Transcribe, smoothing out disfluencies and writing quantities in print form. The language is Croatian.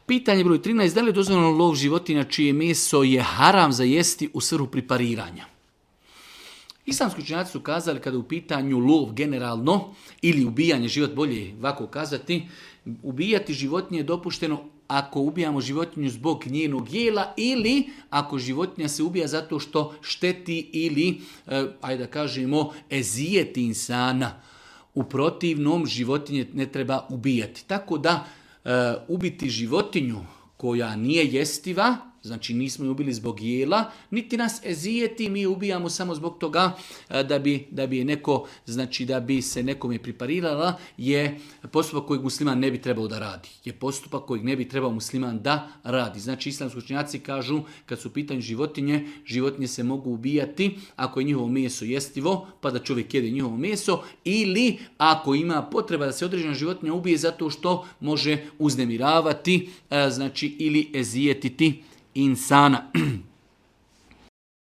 Pitanje broj 13. Da li je dozvoljeno lov životinja čije meso je haram za jesti u svrhu prepariranja? Islamski učenjaci su kazali kada u pitanju lov generalno ili ubijanje, život bolje ovako kazati, ubijati životinje je dopušteno ako ubijamo životinju zbog njenog jela ili ako životinja se ubija zato što šteti ili, ajde da kažemo, ezijeti insana. U protivnom životinje ne treba ubijati. Tako da ubiti životinju koja nije jestiva, znači nismo je ubili zbog jela, niti nas ezijeti, mi ubijamo samo zbog toga da bi je neko, znači da bi se nekome priparirala, je postupak kojeg musliman ne bi trebao da radi. Je postupak kojeg ne bi trebao musliman da radi. Znači islamski učenjaci kažu kad su u pitanju životinje, životinje se mogu ubijati ako je njihovo meso jestivo, pa da čovjek jede njihovo meso, ili ako ima potreba da se određena životinja ubije zato što može uznemiravati, znači ili ezijetiti insana.